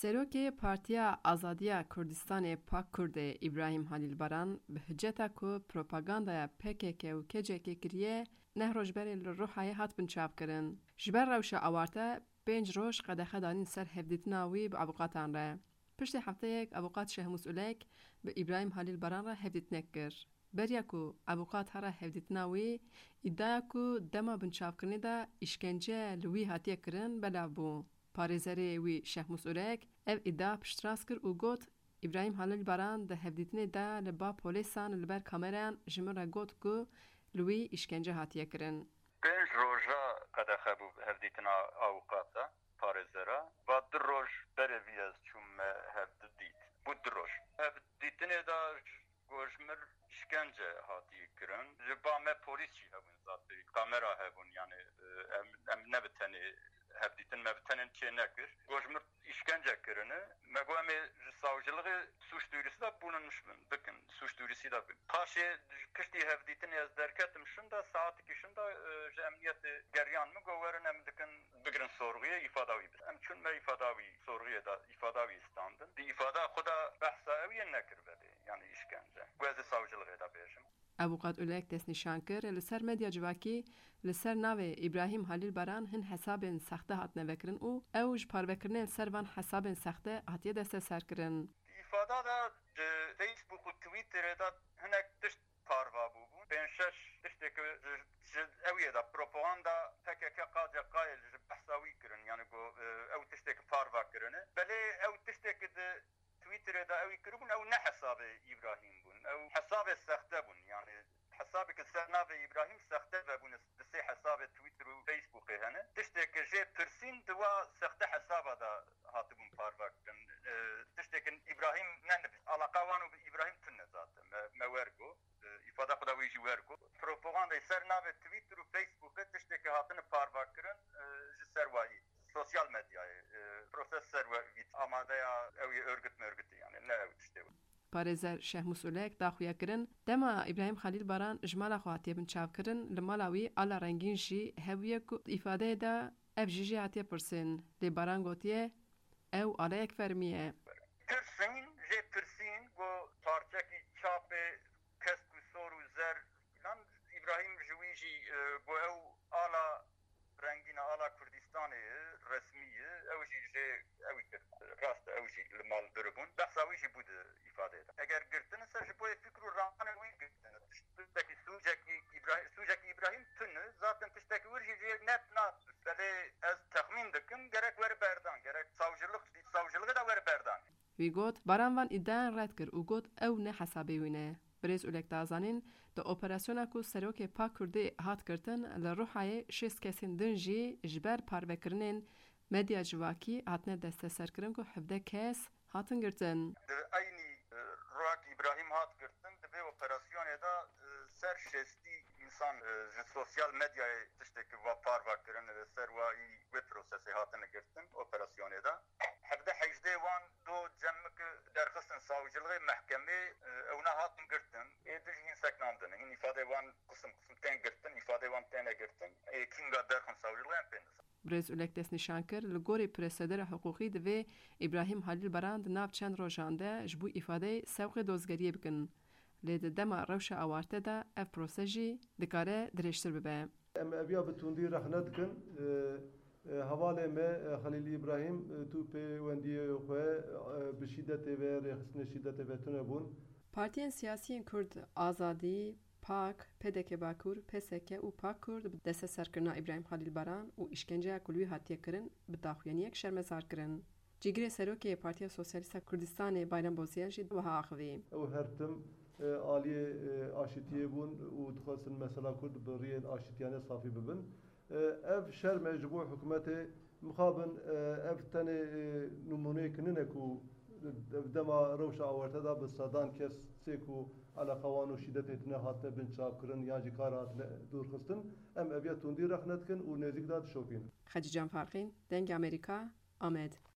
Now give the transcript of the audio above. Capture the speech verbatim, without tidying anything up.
Serokê Partiya Azadiya Kurdistanê, PAK Kurdê, Îbrahîm Halîl Baran bi hiceta ku propagandaya P K K û K C K kiriye, neh roj berê li Ruhayê hat binçavkirin. Ji ber rewşa awarte pênc roj qedexe danîn ser hevdîtina wî bi avûkatan re. Piştî hefteyek avûkat Şehmûs Ulek bi Îbrahîm Halîl Baran re hevdîtinek kir. Beriya ku avûkat here hevdîtina wî, îdiaya ku dema binçavkirinê de îşkence li wî hatiye kirin belav bû. Parêzerê wî Şehmûs Ulek ev îdia piştrast kir û got, Îbrahîm Halîl Baran di hevdîtinê de li ba polêsan li ber kamerayan ji min re got ku li wî îşkence hatiye kirin. Pênc roja qedexe bû hevdîtina avûkata parêzera. Va du roj berê vî ez çûm me hev didît. Bû du roj. Hevdîtinê de ji gojmir îşkence hatiye kirin. Ji ba me polîs jî hebûn zatî. Kamera hebûn, yani, e, em, em ne bi tenê hevdîtin, me bi tenê çê nekir. Gojmir îşkence kirine. Me got em ê ji savcılığı suç duyurusu da bulunmuş bin, bikin, suç duyurusu da bin. Paşê piştî hevdîtinê ez derketim şinda, saetikî şinda, e, ji emniyetê geriyan min got werin em dikin bigirin sorguye, îfada wî bidin. Em çûn me îfada wî sorguye da, îfada wî standin. Di îfada xwe da behsa ew yê nekir belê, yani îşkence. Got ez ê savcılığı da bêjim. Avûkat Ulek destnîşan kir, li ser medya civakî li ser navê Îbrahîm Halîl Baran hin hesabên sexte hatine vekirin û ew ji parvekirinên li ser van hesabên sexte hatiye desteserkirin. Îfada de di Facebook û Twitterê de hinek tişt parva bûbûn. Pênc şeş tiştê ku ji, ji ew yê de propaganda P K K K C K'yê ji behsa wî kirin. Yani ku, e, ew tiştê ku parva kirine. Belê ew tiştê ku di Twitterê de ew ê kiribûn, ew ne hesabê Îbrahîm bûn. Ew hesabê sexte bûn. Yani hesabê ku ser navê Îbrahîm sexte vebûne, di sê hesabê Twitter û Facebookê hene. Tiştê ku jê pirsîn di wa sexte hesaba de hatibûn parve kirin. E, tiştê ku Îbrahîm nenivîst. Alaqa wan û bi Îbrahîm tune zaten. Me, me wer got. E, îfada xwe da wî jî wer got. Propagandayê ser navê Twitter û Facebookê tiştê ku hatine parve kirin, e, ji ser wayî. Sosyal medyayê, e, proses ser we vît. Amadeya ew yê örgüt mörgütî, yani ne ew tiştê we. Parêzer Şehmûs Ulek da xuya kirin, dema Îbrahîm Xalîl Baran ji mala xwe hatiye binçavkirin, li mala wî ala rengîn jî hebûye ku di îfadeyê de ev jî jê hatiye pirsîn. Lê Baran gotiye, ew aleyek fermî ye. Pirsîn, jê pirsîn ku parçekî çapê kesk û sor û zer filan, Îbrahîm ji wî jî, e, got ew ala rengîn e, ala Kurdistanê ye, resmî ye, ew jî jê ew kir. Rast e, ew jî li mal biribûn. Behsa wî jî bû di îfadeyê de. Eger girtin ser ji bo yê fikr û ramanên wî girtin. Tiştekî sûcekî Îbrahîm, sûcekî Îbrahîm tune, zaten tiştekî wir jî jê net nat. Belê ez texmîn dikim, gerek were berdan, gerek savcılık, savcılığı da were berdan. Wî got, Baran van îdiayan red kir û got ew ne hesabê wî ne. Birêz Ulek da zanîn, di operasyona ku serokê PAK Kurdê hat girtin, li Ruhayê şêst kesên din jî ji ber parvekirinên medya civakî hatine desteserkirin ku hevdeh kes hatin girtin. Di eynî, e, roja ku Îbrahîm hat girtin, di vê operasyonê de, e, ser şêstî însan, e, ji sosyal medyayê tiştê ku va parve kirin, li ser wayî wê prosesê hatine girtin operasyonê de. Hevdeh hejdeh wan do cem min ku derxistin savcılığı, mehkemê, e, ewna hatin girtin. Ê din jî hîn seknandin. Hîn îfadeyê wan qisim qisim tên girtin, îfadeyê wan têne girtin. Ê kînga derxin savcılığı em pê nizan. Birêz Ulek destnîşan kir, li gorî prosedera hiqûqî divê Îbrahîm Halîl Baran di nav çend rojan de ji bo îfadeyê sewqê dozgeriyê bikin. Lê di dema rewşa awarte de ev prose jî dikare dirêjtir bibe. Em eviya bi tundî rexne dikin. E, e, hevalê me, e, Xelîl Îbrahîm, e, tu pêwendiyê xwe, e, bi şîdetê ve, rêxistinê şîdetê ve tune bûn. Partiyên siyasiyên Kurd Azadî, PAK, P D K Bakur, P S K û PAK Kurd bi desteserkirina Îbrahîm Xalîl Baran û îşkenceya ku li wî hatiye kirin, bi daxuyaniyek şermezar kirin. Cîgirê Serokê Partiya Sosyalîst a Kurdistanê Bayram Boziyan jî wiha axivî. Ew her tim, e, aliyê, e, aşitiyê bûn û dixwestin mesela Kurd bi riyên aşitiyane safî bibin. E, ev şerm e ji bo hikûmetê. Mixabin, e, ev tenê, e, nimûneyek nine ku ev dema rewşa awarte de bi sedan kes sê ku eleqa wan û şîdetê tine hatine binçavkirin yan jî kar hatine dûrxistin. Em eviya tundî rexne dikin û nêzîk de dişopînin. Xecîcan Farqîn, Dengê Amerîka, Amed.